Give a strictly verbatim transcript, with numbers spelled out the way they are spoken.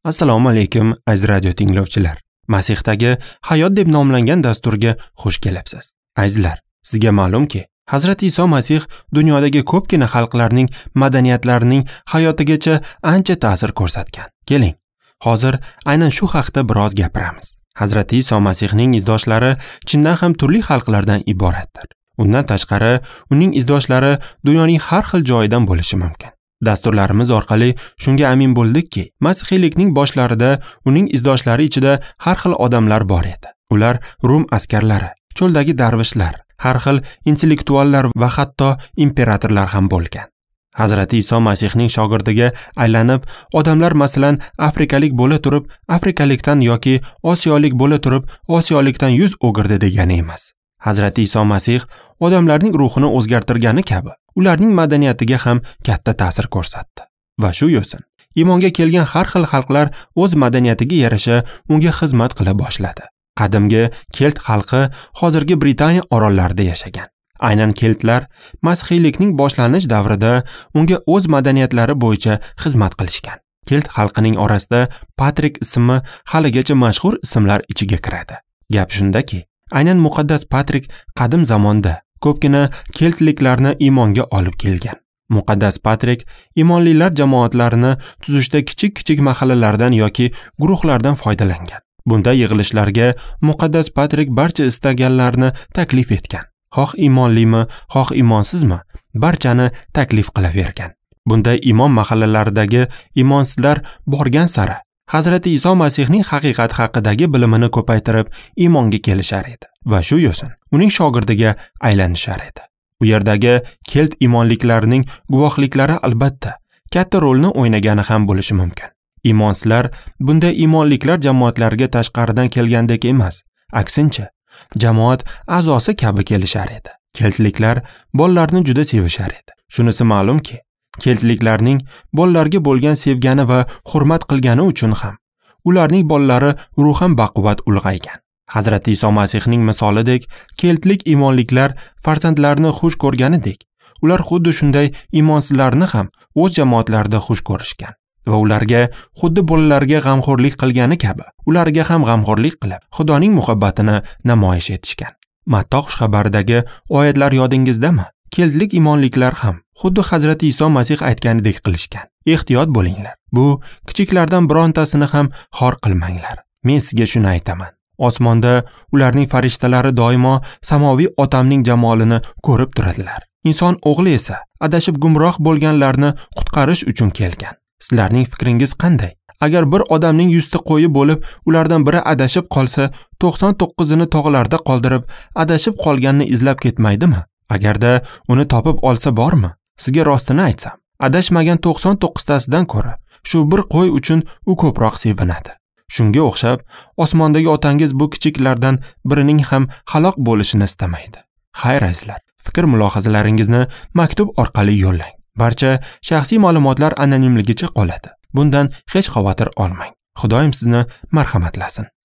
Assalomu alaykum aziz radio tinglovchilar. Masihdagi hayot deb nomlangan dasturga xush kelibsiz. Azizlar, sizga ma'lumki, Hazrati Iso Masih dunyodagi ko'pgina xalqlarning madaniyatlarining hayotigacha ancha ta'sir ko'rsatgan. Keling, hozir aynan shu haqda biroz gapiramiz. Hazrati Iso Masihning izdoshlari chindan ham turli xalqlardan iboratdir. Undan tashqari, uning izdoshlari dunyoning har xil joyidan bo'lishi mumkin. Dasturlarimiz orqali shunga amin bo'ldikki, masihiylikning boshlarida uning izdoshlari ichida har xil odamlar bor edi. Ular Rum askarlari, cho'ldagi darvishlar, har xil intellektuallar va hatto imperatorlar ham bo'lgan. Hazrati Iso Masihning shogirdiga aylanib, odamlar masalan afrikalik bo'la turib, afrikalikdan yoki osiyolik bo'la turib, osiyolikdan yuz o'girdi degani emas. Hazrati Iso Masih odamlarning ruhini o'zgartirgani kabi, ularning madaniyatiga ham katta ta'sir ko'rsatdi. Va shu yo'sin, iymonga kelgan har xil xalqlar o'z madaniyatiga yarasha unga xizmat qila boshladi. Qadimgi kelt xalqi hozirgi Britaniya orollarida yashagan. Aynan keltlar masihiylikning boshlanish davrida unga o'z madaniyatlari bo'yicha xizmat qilishgan. Kelt xalqining orasida Patrik ismi haligacha mashhur ismlar ichiga kiradi. Gap shundaki, aynan muqaddas Patrik qadim zamonda ko'pgina keltliklarni iymonga olib kelgan. Muqaddas Patrik iymonlilar jamoatlarini tuzishda kichik-kichik mahallalardan yoki guruhlardan foydalangan. Bunda yig'ilishlarga muqaddas Patrik barcha istaganlarni taklif etgan. Xoh iymonlimi, xoh iymonsizmi, barchani taklif qilavergan. Bunda iymon mahallalaridagi iymonsizlar borgan sari Hazrati Iso Masihning haqiqat haqidagi bilimini ko'paytirib iymonga kelishar edi va shu yo'sin uning shogirdiga aylanishar edi. U yerdagi kelt iymonliklarining guvohliklari albatta katta rolni o'ynagani ham bo'lishi mumkin. Iymonsizlar bunday iymonliklar jamoatlariga tashqaridan kelgandek emas, aksincha jamoat a'zosi kabi kelishar edi. Keltliklar bolalarni juda sevishar edi. Shunisi ma'lumki, keltliklarning bolalarga bo'lgan sevgani va hurmat qilgani uchun ham ularning bolalari ruhan baquvvat ulg'aygan. Hazrati Iso Masihning misolidek, keltlik iymonliklar farzandlarini xush ko'rganidek, ular xuddi shunday iymonsizlarni ham o'z jamoatlarida xush ko'rishgan va ularga xuddi bolalarga g'amxo'rlik qilgani kabi, ularga ham g'amxo'rlik qilib, Xudoning muhabbatini namoyish etishgan. Matto xushxabaridagi oyatlar yodingizdami? Keltlik iymonliklar ham xuddi Hazrati Iso Masih aytganidek qilishgan. Ehtiyot bo'linglar. Bu kichiklardan birontasini ham xor qilmanglar. Men sizga shuni aytaman. Osmonda ularning farishtalari doimo samoviy otamning jamolini ko'rib turadilar. Inson o'g'li esa adashib gumroh bo'lganlarni qutqarish uchun kelgan. Sizlarning fikringiz qanday? Agar bir odamning yuzta qo'yi bo'lib, ulardan biri adashib qolsa, to'qson to'qqizini tog'larda qoldirib, adashib qolganni izlab ketmaydimi? Agarda uni topib olsa bormi? Sizga rostini aytsam, adashmagan to'qson to'qqiztasidan ko'ra shu bir qo'y uchun u ko'proq sevinadi. Shunga o'xshab, osmondagi otangiz bu kichiklardan birining ham halok bo'lishini istamaydi. Xayr azizlar, fikr mulohazalaringizni maktub orqali yo'llang. Barcha shaxsiy ma'lumotlar anonimligicha qoladi. Bundan hech xavotir olmang. Xudoyim sizni marhamatlasin.